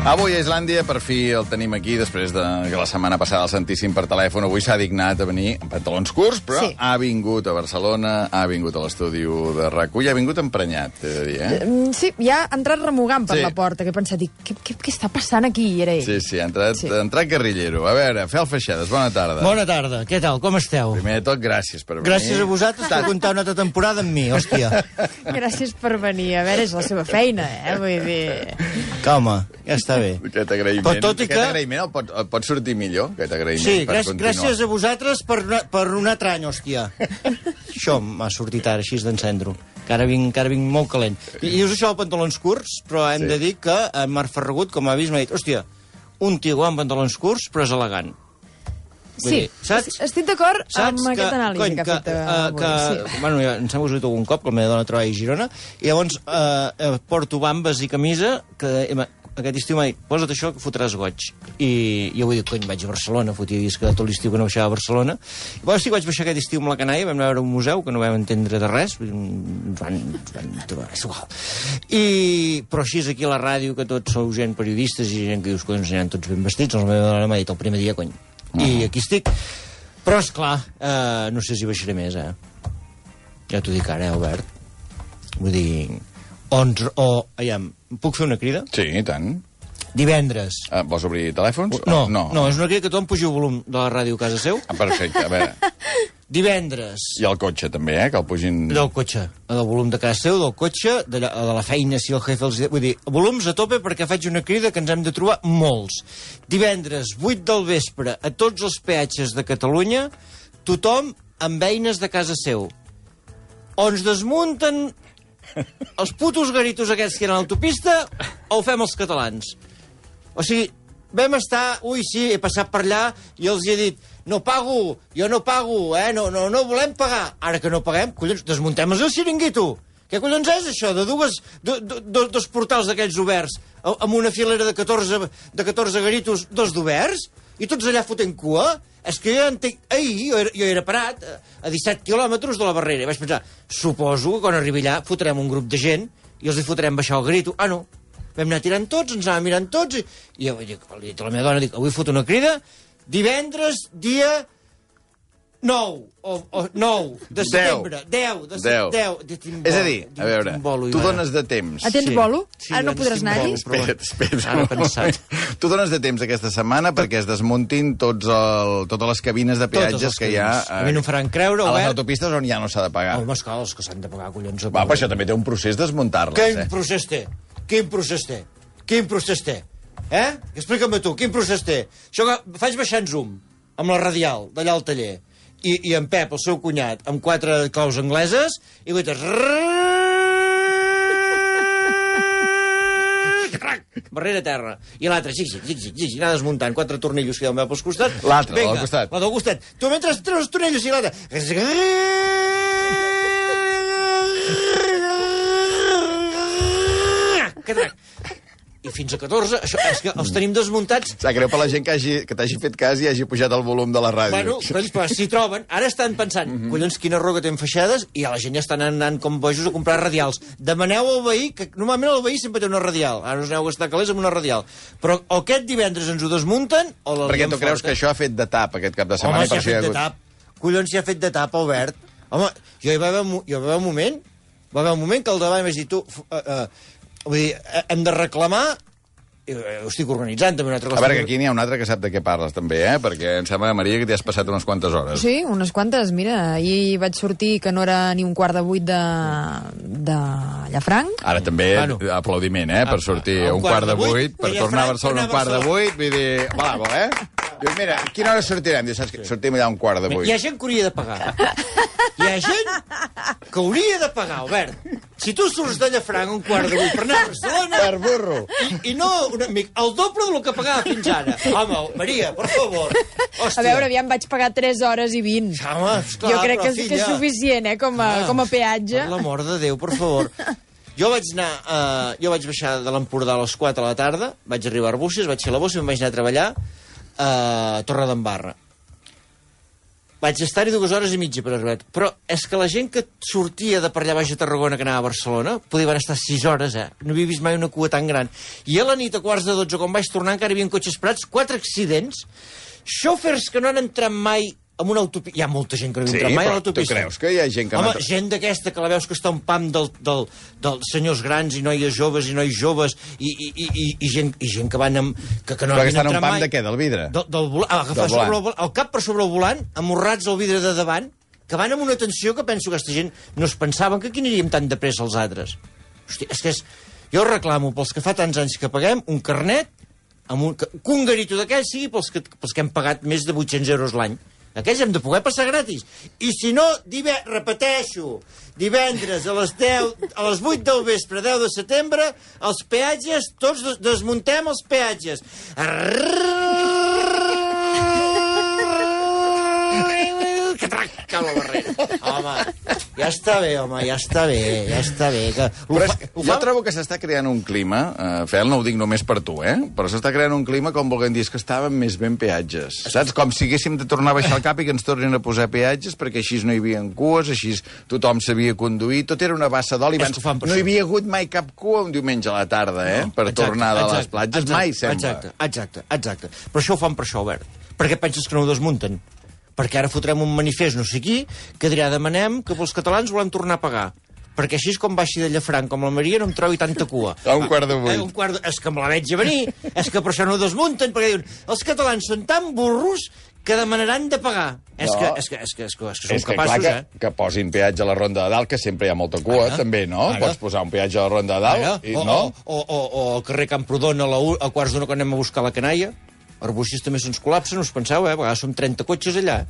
Avui a Islàndia, per fi el tenim aquí, després de que la setmana passada el sentíssim per telèfon. Avui s'ha dignat a venir en pantalons curts, però sí, ha vingut a Barcelona, ha vingut a l'estudi de RAC1 i ha vingut emprenyat, he de dir, Sí, ja ha entrat remugant per la porta, que he pensat, què està passant aquí? I era ell. Sí, ha entrat guerrillero. A veure, Fel Feixedes, bona tarda. Bona tarda, què tal, com esteu? Primer de tot, gràcies per venir. Gràcies a vosaltres per comptar una altra temporada amb mi, hòstia. Gràcies per venir, a veure, és la seva feina, vull dir... Home, ja està bé. Aquest agraïment, però tot i que... el pot sortir millor, aquest agraïment, sí, per continuar. Gràcies a vosaltres per un altre any, hòstia. Això m'ha sortit ara, així d'encendre-ho. Que ara vinc molt calent. I dius això, pantalons curts, però hem de dir que en Marc Ferragut, com ha vist, m'ha dit, hòstia, un tio amb pantalons curts, però és elegant. Sí, estic d'acord amb aquesta anàlisi que ha fet avui. Bueno, ja ens hem usat algun cop, que la meva dona treballa a Girona, i llavors porto bambes i camisa, que aquest estiu m'ha dit, posa't això que fotràs goig. I jo vull dir, cony, vaig a Barcelona, fotia disc tot l'estiu que no baixava a Barcelona. I llavors sí que vaig baixar aquest estiu amb la canalla, vam anar a veure un museu que no vam entendre de res, ens van trobar, és igual. Però així és aquí a la ràdio, que tots sou gent periodistes i gent que dius, cony, ens aniran tots ben vestits, la meva dona m'ha dit el primer dia, cony. I aquí estic. Però, esclar, no sé si baixaré més, Ja t'ho dic ara, Albert. Vull dir... puc fer una crida? Sí, i tant. Divendres. Vols obrir telèfons? No, és una crida que tothom pugi el volum de la ràdio a casa seu. Perfecte, a veure. Divendres. I el cotxe, també, que el pugin... Del cotxe, del volum de casa seu, del cotxe, de la feina, si el jefe els... Vull dir, volums a tope perquè faig una crida que ens hem de trobar molts. Divendres, 8 del vespre, a tots els peatges de Catalunya, tothom amb eines de casa seu. O ens desmunten els putos garitos aquests que eren a l'autopista o ho fem els catalans. O sigui, vam estar... Sí, he passat per allà i els he dit no pago, jo no pago, no volem pagar. Ara que no paguem, collons, desmuntem el xiringuito. Què collons és això? De dos portals d'aquells oberts amb una filera de 14 garitos, dos d'oberts, i tots allà fotent cua? És que jo entenc... Ahir jo era parat a 17 quilòmetres de la barrera i vaig pensar, suposo que quan arribi allà fotrem un grup de gent i els hi fotrem baixar el grito. No. Vam anar tirant tots, ens anàvem mirant tots i jo li dic a la meva dona, avui foto una crida, divendres, dia 9 de setembre. 10. És a dir, a veure, tu dones de temps. Tens bolo? Ara no podràs anar-hi? Espera. Tu dones de temps aquesta setmana perquè es desmuntin totes les cabines de peatges que hi ha a mi no em faran creure, a les autopistes on ja no s'ha de pagar. Home, esclar, els que s'han de pagar, collons. Va, però això també té un procés desmuntar-les. Quin procés té? Quin procés té? Explica'm tu, quin procés té? Això que faig baixar en zoom, amb la radial, d'allà al taller, i en Pep, el seu cunyat, amb 4 claus angleses, i guaites... barrera terra. I l'altre, xic, anar desmuntant 4 tornillos que hi ha pels costats. L'altre, del costat. La del costat. Tu mentre treus els tornillos i l'altre... I fins a 14, això és que els tenim desmuntats. Sap greu per la gent que t'hagi fet cas i hagi pujat el volum de la ràdio. Bueno, però s'hi troben, ara estan pensant, collons, quina roga tenen feixades, i a la gent ja estan anant com bojos a comprar radials. Demaneu al veí, que normalment el veí sempre té una radial, ara us aneu a gastar calés amb una radial. Però o aquest divendres ens ho desmunten, o la... Perquè tu creus que això ha fet de tap aquest cap de setmana? Home, si ha fet de tap. Collons, si ha fet de tap, Albert. Home, jo hi va haver un moment que al davant vaig dir, tu... Vull dir, hem de reclamar, ho estic organitzant també una altra cosa. A veure, que aquí n'hi ha un altre que sap de què parles també, perquè em sembla, Maria, que t'hi has passat unes quantes hores. Sí, unes quantes, mira, ahir vaig sortir que no era ni un quart de 8 de Llafranc. Ara també, aplaudiment, per sortir un quart de 8, per tornar a Barcelona un quart de 8, vull dir, bravo, Dius, mira, a quina hora sortirem? Dius, saps que sortim allà un quart de 8. Hi ha gent que hauria de pagar. Hi ha gent que hauria de pagar, Albert. Si tu surts de Llafranc un quart de 8 per anar a Barcelona... Per burro. I no, un amic, el doble del que pagava fins ara. Home, Maria, per favor. Hòstia. A veure, aviam, vaig pagar 3 hores i 20. Home, esclar, jo crec que és suficient, com a peatge. Per l'amor de Déu, per favor. Jo vaig baixar de l'Empordà a les 4 de la tarda, vaig arribar a Arbúcies, vaig fer la bossa i em vaig anar a treballar a Torredembarra. Vaig estar-hi 2 hores i mitja per arribar. Però és que la gent que sortia de per allà baix a Tarragona, que anava a Barcelona, podien estar 6 hores, No havia vist mai una cua tan gran. I a la nit, a 11:15, quan vaig tornar, encara hi havia cotxes parats, 4 accidents, xòfers que no han entrat mai amb una autopista. Hi ha molta gent que no ha entrat mai a l'autopista. Tu creus que hi ha gent que Home, gent d'aquesta que la veus que està un pam dels senyors grans i noies joves i nois joves i gent que van amb... Que no però que estan entrat un pam mai. de què? Del vidre? Del volant. Agafar el cap per sobre el volant, amorrats al vidre de davant, que van amb una tensió que penso que aquesta gent no es pensaven que aquí aniríem tan de pressa els altres. Hòstia, és que jo reclamo pels que fa tants anys que paguem un carnet, que un garito d'aquells sigui pels que hem pagat més de 800 euros l'any. Aquells hem de poder passar gratis. I si no, repeteixo, divendres a les 8 del vespre, 10 de setembre, els peatges, tots desmuntem els peatges. Que trenca la barrera. Home, ja està bé, ja està bé. Però jo trobo que s'està creant un clima, Fel, no ho dic només per tu, però s'està creant un clima com volguem dir, que estaven més ben peatges. Saps? Com si haguéssim de tornar a baixar el cap i que ens tornin a posar peatges, perquè així no hi havia cues, així tothom sabia conduir, tot era una bassa d'oli. No hi havia hagut mai cap cua un diumenge a la tarda, per tornar de les platges. Mai, sembla. Exacte. Però això ho fan per això, Albert. Per què penses que no ho desmunten? Perquè ara fotrem un manifest no sé qui, que dirà demanem que pels catalans volem tornar a pagar. Perquè així és com baixi de Llafranc, com la Maria, no em trobi tanta cua. A 7:45. És que me la veig a venir, és que per això no ho desmunten, perquè diuen, els catalans són tan burros que demanaran de pagar. És que són capaços, que posin peatge a la Ronda de Dalt, que sempre hi ha molta cua, també, no? Pots posar un peatge a la Ronda de Dalt, no? O al carrer Camprodon, a 1:15 quan anem a buscar la canalla. Arbuixis també se'ns col·lapsen, no us penseu, a vegades som 30 cotxes allà.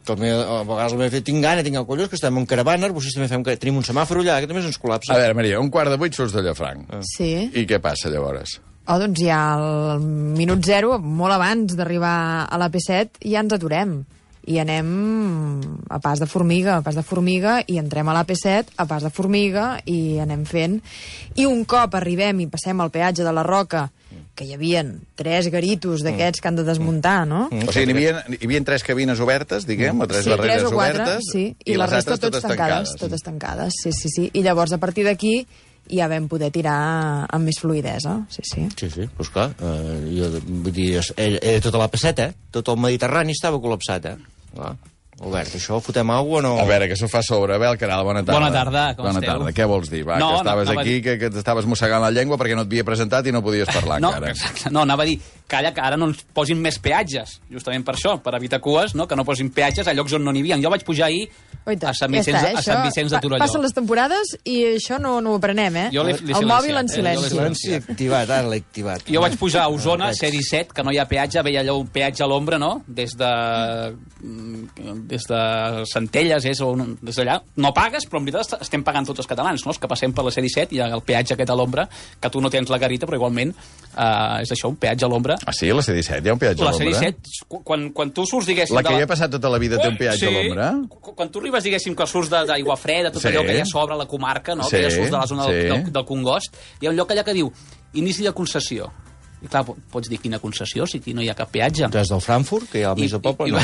A vegades tinc gana, tinc el collons, que estem en caravana, Arbuixis també tenim un semàfor allà, que també se'ns col·lapsa. A veure, Maria, 7:15 surts de Llafranc. Sí. I què passa, llavors? Doncs ja al minut 0, molt abans d'arribar a la P7, ja ens aturem. I anem a pas de formiga, i entrem a la P7 a pas de formiga, i anem fent. I un cop arribem i passem al peatge de la Roca, que hi havia 3 garitos d'aquests que han de desmuntar, no? O sigui, hi havia 3 cabines obertes, diguem, o 3 barreres 3 o 4, obertes, sí, i la resta totes tancades. Sí. I llavors, a partir d'aquí, ja vam poder tirar amb més fluïdesa. Sí, doncs clar, vull dir, era tota la P7, tot el Mediterrani estava col·lapsat, clar. Albert, això, fotem aigua o no? A veure, que això fa sobre. Abel Caral, bona tarda. Bona tarda, com esteu? Bona tarda, què vols dir? Va, que estaves aquí, que t'estaves mossegant la llengua perquè no et havia presentat i no podies parlar encara. Exacte. No, anava a dir, calla, que ara no ens posin més peatges, justament per això, per evitar cues, no? Que no posin peatges a llocs on no n'hi havia. Jo vaig pujar ahir a Sant Vicenç de Torelló. Passen les temporades i això no ho aprenem, El mòbil en silenci. Activat, ara l'he activat. Jo vaig pujar a Osona, C-17, que no hi ha peatge, veia allò un peatge a l'ombra, no? Des de Centelles, des d'allà. No pagues, però en veritat estem pagant tots els catalans, no? Els que passem per la C-17 i el peatge aquest a l'ombra, que tu no tens la garita, però igualment és això, un peatge a l'ombra. Ah, sí? A la C-17 hi ha un peatge a l'ombra? La C-17, quan tu surts, diguéssim... La que hi ha passat tota la vida té un peatge a l'ombra? Quan tu arribes, diguéssim, que surts d'Aigua Freda, tot allò que hi ha sobre la comarca, no? Que ja surts de la zona del Congost, hi ha un lloc allà que diu inici de concessió. I clar, pots dir quina concessió, si aquí no hi ha cap peatge. Des del Frankfurt, que hi ha al mig del poble,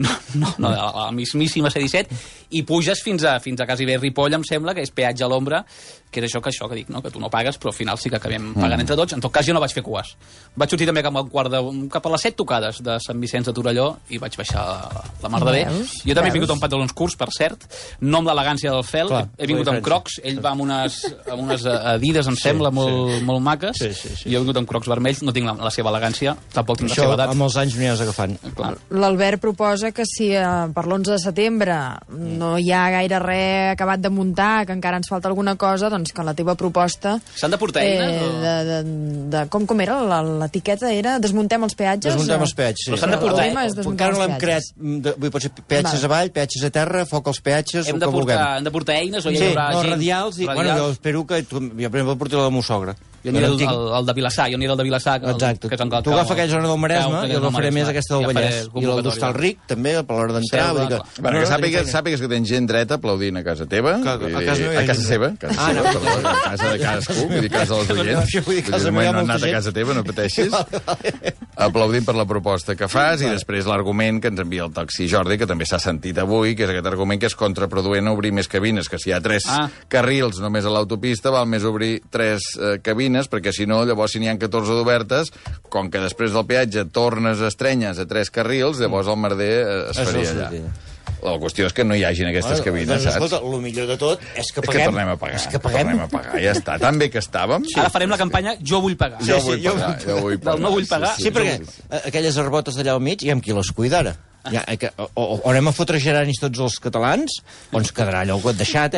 no? No, a la mismíssima C-17, i puges fins a quasi bé Ripoll, em sembla, que és peatge a l'ombra, que és això que dic, no? Que tu no pagues, però al final sí que acabem pagant entre tots. En tot cas, jo no vaig fer cues. Vaig sortir també cap a les 7 tocades de Sant Vicenç de Torelló i vaig baixar la mar de bé. Jo també he vingut amb pantalons curts, per cert, no amb l'elegància del Fel, he vingut amb crocs, ell va amb unes Adidas, em sembla, molt maques, i jo he vingut amb crocs vermells, no tinc la seva elegància, tampoc tinc la seva edat. Amb els anys m'hi has agafant. L'Albert proposa que si per l'11 de setembre no hi ha gaire res acabat de muntar, que encara ens falta alguna cosa, doncs que la teva proposta... S'han de portar eines? Com era? L'etiqueta era desmuntem els peatges? Desmuntem els peatges, sí. Però s'han de portar eines? Encara no l'hem creat. Pot ser peatges avall, peatges a terra, foc als peatges, el que vulguem. Hem de portar eines o hi haurà gent? No, radials. Bueno, jo espero que... Jo, per exemple, portaré la meva sogra. Jo aniré al de Vilassar, el de Vilassar. Exacte. Tu agafa aquella zona del Maresme, jo agafaré més aquesta del Vallès. I el d'Hostal Ric, també, per l'hora d'entrar. Bueno, que sàpigues que tens gent dreta aplaudint a casa teva. A casa seva. A casa de cadascú, vull dir, casa dels oients. No han anat a casa teva, no pateixis. Aplaudint per la proposta que fas i després l'argument que ens envia el taxi Jordi, que també s'ha sentit avui, que és aquest argument que és contraproduent obrir més cabines, que si hi ha 3 carrils només a l'autopista val més obrir 3 cabines, perquè si no, llavors si n'hi ha 14 d'obertes, com que després del peatge tornes estrenyes a 3 carrils, llavors el merder es faria allà. La qüestió és que no hi hagin aquestes cabines, saps? Escolta, el millor de tot és que paguem. És que tornem a pagar. Tornem a pagar, ja està. Tan bé que estàvem. Ara farem la campanya Jo vull pagar. Jo vull pagar. Del no vull pagar. Sí, perquè aquelles arbotes d'allà al mig, hi ha qui les cuida ara. O anem a fotre geranis tots els catalans, o ens quedarà allò deixat,